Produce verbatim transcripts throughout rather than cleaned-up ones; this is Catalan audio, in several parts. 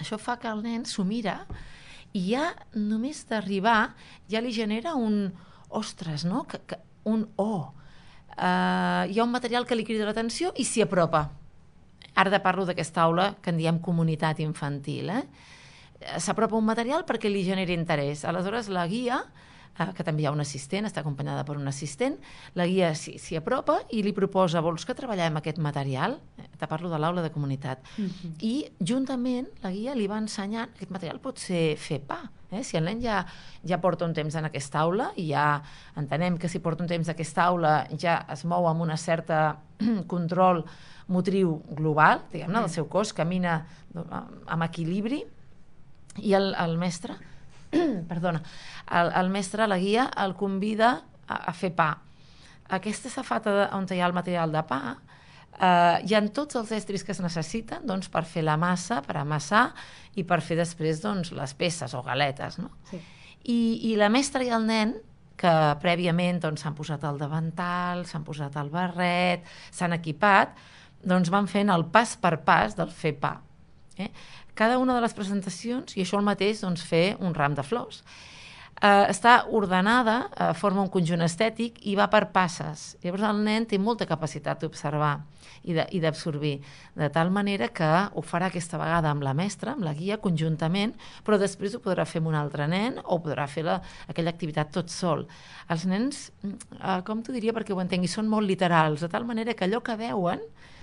Això fa que el nen s'ho mira i ja només d'arribar ja li genera un ostres, no? Que, que, un oh. Uh, hi ha un material que li crida l'atenció i s'hi apropa. Ara de parlo d'aquesta aula que en diem comunitat infantil. Eh? S'apropa un material perquè li generi interès. Aleshores, la guia, eh, que també hi ha un assistent, està acompanyada per un assistent, la guia s'hi apropa i li proposa, vols que treballem aquest material? Te parlo de l'aula de comunitat. Uh-huh. I juntament la guia li va ensenyant, aquest material pot ser fer pa. Eh? Si el nen ja, ja porta un temps en aquesta aula i ja entenem que si porta un temps en aquesta aula ja es mou amb una certa control motriu global, diguem-ne, del seu cos, camina amb equilibri, i el, el mestre, perdona, el, el mestre, la guia, el convida a, a fer pa. Aquesta safata on hi ha el material de pa, eh, hi ha tots els estris que es necessiten doncs, per fer la massa, per amassar i per fer després doncs, les peces o galetes. No? Sí. I, I la mestra i el nen, que prèviament doncs, s'han posat el davantal, s'han posat el barret, s'han equipat, doncs van fent el pas per pas del fer pa. Eh? Cada una de les presentacions, i això el mateix, doncs, fer un ram de flors. Eh, està ordenada, eh, forma un conjunt estètic i va per passes. Llavors el nen té molta capacitat d'observar i d'absorbir, de, de tal manera que ho farà aquesta vegada amb la mestra, amb la guia, conjuntament, però després ho podrà fer amb un altre nen o podrà fer la, aquella activitat tot sol. Els nens, eh, com t'ho diria perquè ho entengui, són molt literals, de tal manera que allò que veuen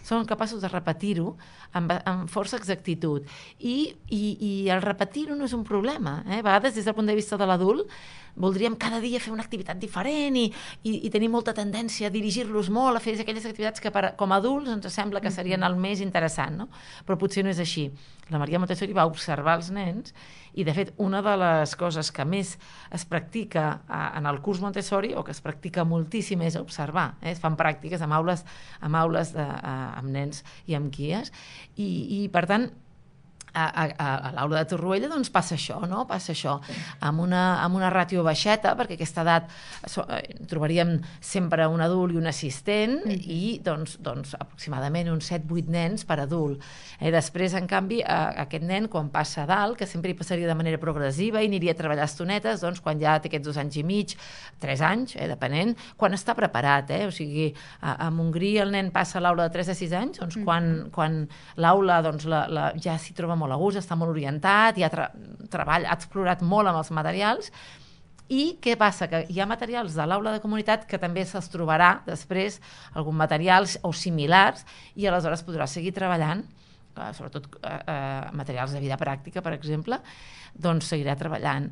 són capaços de repetir-ho amb, amb força exactitud. I, i, i el repetir-ho no és un problema. Eh? A vegades, des del punt de vista de l'adult, voldríem cada dia fer una activitat diferent i, i, i tenir molta tendència a dirigir-los molt, a fer aquelles activitats que per, com a adults ens sembla que serien el més interessant, no? Però potser no és així. La Maria Montessori va observar els nens i, de fet, una de les coses que més es practica en el curs Montessori, o que es practica moltíssim, és observar. Eh? Es fan pràctiques amb aules, amb, aules de, amb nens i amb guies. I, i per tant, a, a, a l'aula de Torroella doncs passa això, no? Passa això, amb una, amb una ràtio baixeta, perquè a aquesta edat so, eh, trobaríem sempre un adult i un assistent, mm. i doncs, doncs aproximadament uns set vuit nens per adult. Eh, després, en canvi, a, a aquest nen, quan passa a dalt, que sempre hi passaria de manera progressiva i aniria a treballar estonetes, doncs quan ja té aquests dos anys i mig, tres anys, eh, depenent, quan està preparat, eh? O sigui, a, a Montgrí el nen passa a l'aula de tres a sis anys, doncs mm. quan, quan l'aula doncs, la, la, ja s'hi troba molt a gust, està molt orientat, ja tra treballa, ha explorat molt amb els materials. I què passa? Que hi ha materials de l'aula de comunitat que també se'ls trobarà després, alguns materials o similars, i aleshores podrà seguir treballant, sobretot eh, materials de vida pràctica, per exemple, doncs seguirà treballant.